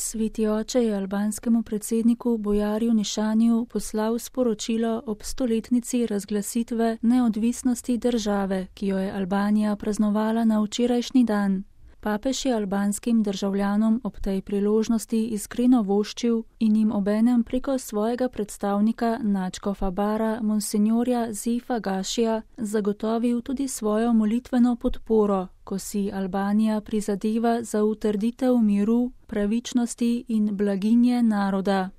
Sveti oče je albanskemu predsedniku Bojarju Nišaniju poslal sporočilo ob 100-letnici razglasitve neodvisnosti države, ki jo je Albanija praznovala na včerajšnji dan. Papež je albanskim državljanom ob tej priložnosti iskreno voščil in jim obenem preko svojega predstavnika nadškofa Bara, monsinjorja Zifa Gašija, zagotovil tudi svojo molitveno podporo, ko si Albanija prizadeva za utrditev miru, pravičnosti in blaginje naroda.